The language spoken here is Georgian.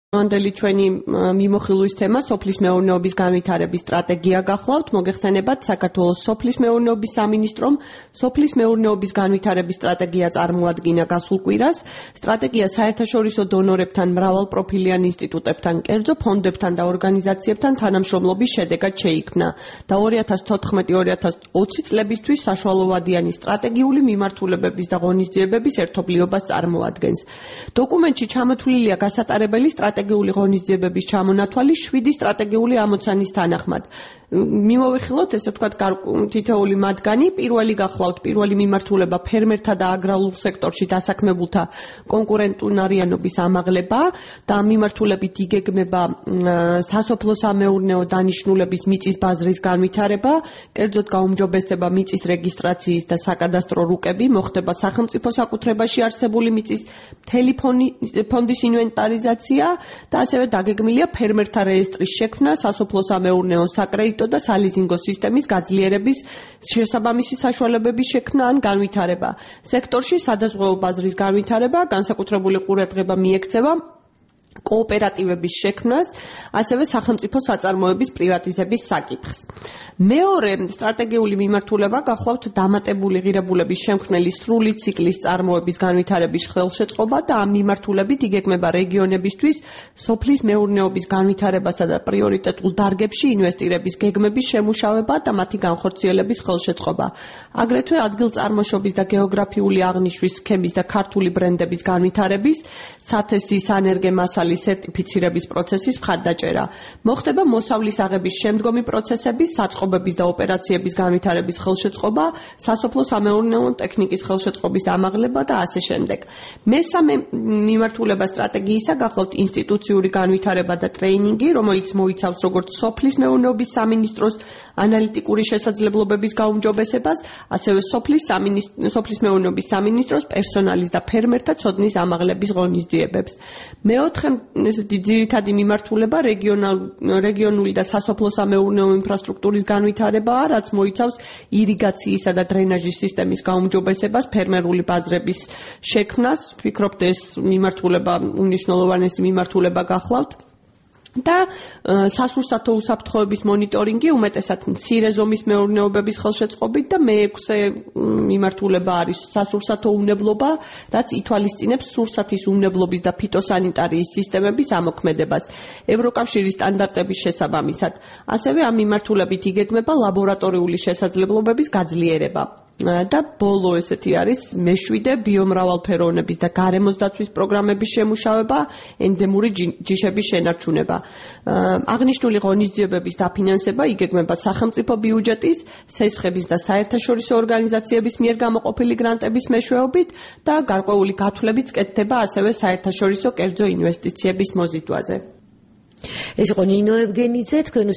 მანდელი ჩვენი მიმოხილვის თემა სოფლის მეურნეობის განვითარების სტრატეგია გახლავთ. მოგეხსენებათ, საქართველოს სოფლის მეურნეობის სამინისტრომ სოფლის მეურნეობის განვითარების სტრატეგია წარმოადგინა გასულ კვირას. სტრატეგია საერთაშორისო დონორებთან, მრავალპროფილიან ინსტიტუტებთან, კერძო ფონდებთან და ორგანიზაციებთან თანამშრომლობის შედეგად შეიქმნა და 2014-2020 წლებისთვის საშუალოვადიანი სტრატეგიული მიმართულებების და ღონისძიებების ერთობლიობას წარმოადგენს. დოკუმენტში ჩამოთვლილია გასატარებელი სტრატეგიული ღონისძიებების ჩამონათვალი 7 სტრატეგიული ამოცანის თანახმად. მიმოვიხილოთ, ესე ვთქვათ, თითოეული მათგანი. პირველი გახლავთ, პირველი მიმართულება ფერმერთა და აგრარულ სექტორში დასაქმებულთა კონკურენტუნარიანობის ამაღლება და მიმართულებით იგეგმება სასოფლო-სამეურნეო დანიშნულების მიწის ბაზრის განვითარება, კერძოდ გაუმჯობესდება მიწის რეგისტრაციის და საკადასტრო რუკები, მოხდება სახელმწიფო საკუთრებაში არსებული მიწის მთელი ფონდის ინვენტარიზაცია და ასევე დაგეგმილია ფერმერთა რეესტრის შექმნა, სასოფლო-სამეურნეო საკრედიტო და სალიზინგო სისტემის გაძლიერების შესაბამისი საშუალებების შექმნა ან განვითარება. სექტორში სადაზღვეო ბაზრის განვითარება, განსაკუთრებული ყურადღება მიექცევა კოოპერატივების შექმნას, ასევე სახელმწიფო საწარმოების პრივატიზების საკითხს. მეორე სტრატეგიული მიმართულება გახლავთ დამატებული ღირებულების შემქმნელი სრული ციკლის წარმოების განვითარების ხელშეწყობა და ამ მიმართულებით იგეგმება რეგიონებისთვის სოფლის მეურნეობის განვითარებასა და პრიორიტეტულ დარგებში ინვესტირების გეგმების შემუშავება და მათი განხორციელების ხელშეწყობა. აგრეთვე ადგილწარმოშობის და გეოგრაფიული აღნიშვნის სქემის და ქართული ბრენდების განვითარების, სათესი სანერგე მასალის სერტიფიცირების პროცესის მხარდაჭერა. მოხდება მოსავლის აღების შემდგომი პროცესების, საწყობების და ოპერაციების განვითარების ხელშეწყობა, სასოფლო-სამეურნეო ტექნიკის ხელშეწყობის ამაღლება და ასე შემდეგ. მესამე მიმართულება სტრატეგიისა გახლავთ ინსტიტუციური განვითარება და ტრეინინგი, რომელიც მოიცავს როგორც სოფლის მეურნეობის სამინისტროს ანალიტიკური შესაძლებლობების გაუმჯობესებას, ასევე სოფლის მეურნეობის სამინისტროს პერსონალის და ფერმერთა ცოდნის ამაღლების ღონისძიებებს. მეოთხე ძირითადი მიმართულება რეგიონული და სასოფლო-სამეურნეო ინფრასტრუქტურის განვითარებაა, რაც მოიცავს ირიგაციისა და დრენაჟის სისტემის გაუმჯობესებას, ფერმერული ბაზრების შექმნას. ვფიქრობთ, ეს მიმართულება უმნიშვნელოვანესი მიმართულება გახლავთ. და სასურსათო უსაფრთხოების მონიტორინგი, უმეტესად მცირე ზომის მეურნეობების ხელშეწყობით და მეექვსე მიმართულება არის სასურსათო უნებლობა, რაც ითვალისწინებს სურსათის უნებლობის და ფიტოსანიტარიის სისტემების ამოქმედებას ევროკავშირის სტანდარტების შესაბამისად. ასევე ამ მიმართულებით იგეგმება ლაბორატორიული შესაძლებლობების გაძლიერება. და ბოლო ესეთი არის მეშვიდე ბიომრავალფეროვნების და გარემოს დაცვის პროგრამების შემუშავება, ენდემური ჯიშების შენარჩუნება. აღნიშნული ღონისძიებების დაფინანსება იგეგმება სახელმწიფო ბიუჯეტის, სესხების და საერთაშორისო ორგანიზაციების მიერ გამოყოფილი გრანტების მეშვეობით და გარკვეული გათვლებიც კეთდება ასევე საერთაშორისო კერძო ინვესტიციების მოზიდვაზე. ეს იყო ნინო ევგენიძე, თქვენ